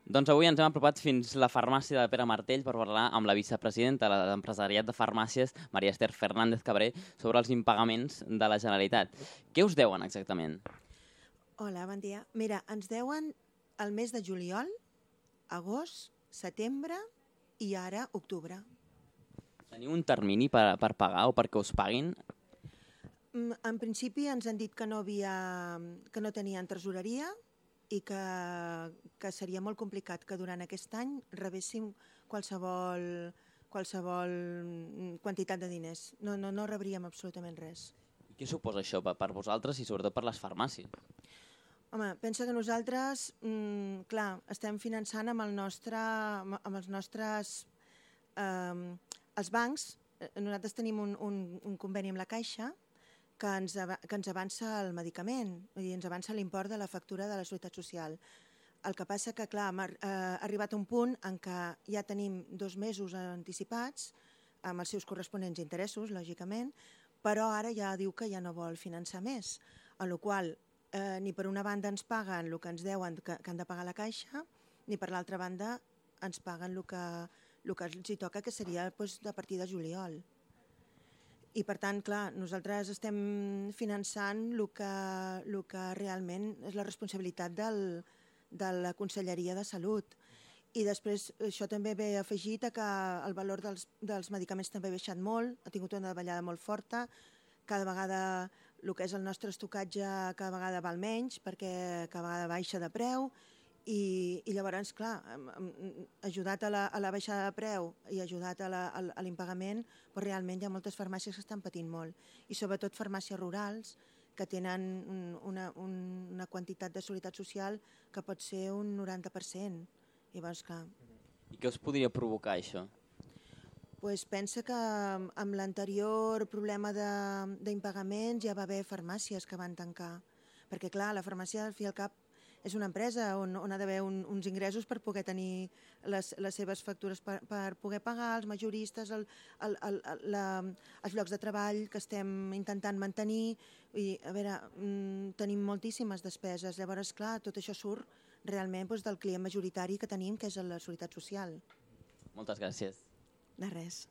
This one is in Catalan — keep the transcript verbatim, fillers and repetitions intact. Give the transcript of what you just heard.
Doncs avui ens hem apropat fins a la farmàcia de Pere Martell per parlar amb la vicepresidenta de l'empresariat de farmàcies, Maria Esther Fernández Cabré, sobre els impagaments de la Generalitat. Què us deuen exactament? Hola, bon dia. Mira, ens deuen el mes de juliol, agost, setembre i ara octubre. Teniu un termini per, per pagar o perquè us paguin? En principi ens han dit que no, havia, que no tenien tresoreria i que, que seria molt complicat que durant aquest any rebéssim qualsevol, qualsevol quantitat de diners. No, no, no rebríem absolutament res. I què suposa això per vosaltres i sobretot per les farmàcies? Home, pensa que nosaltres, mm, clar, estem finançant amb, el nostre, amb els nostres... Eh, els bancs, nosaltres tenim un, un, un conveni amb la Caixa que ens, que ens avança el medicament, vull dir, ens avança l'import de la factura de la Seguretat Social. El que passa que, clar, hem arribat a un punt en què ja tenim dos mesos anticipats, amb els seus corresponents interessos, lògicament, però ara ja diu que ja no vol finançar més, a la qual eh, ni per una banda ens paguen el que ens deuen que, que han de pagar la Caixa, ni per l'altra banda ens paguen el que, el que els hi toca, que seria doncs, a partir de juliol. I per tant, clar, nosaltres estem finançant el que, el que realment és la responsabilitat del, de la Conselleria de Salut. I després això també ve afegit a que el valor dels, dels medicaments també ha baixat molt, ha tingut una davallada molt forta, cada vegada el que és el nostre estocatge cada vegada val menys perquè cada vegada baixa de preu i, i llavors, clar, ajudat a la, a la baixada de preu i ajudat a, la, a l'impagament, però realment hi ha moltes farmàcies que estan patint molt i sobretot farmàcies rurals que tenen una, una quantitat de seguretat social que pot ser un noranta per cent. Llavors, clar. I què us podria provocar això? Pues pensa que amb l'anterior problema d'impagaments ja va haver farmàcies que van tancar, perquè clar, la farmàcia al fi i al cap és una empresa on, on ha d'haver un, uns ingressos per poder tenir les, les seves factures, per, per poder pagar els majoristes, el, el, el, la, els llocs de treball que estem intentant mantenir. I, a veure, mm, tenim moltíssimes despeses, llavors, clar, tot això surt realment doncs, del client majoritari que tenim, que és la Seguretat Social. Moltes gràcies. De res.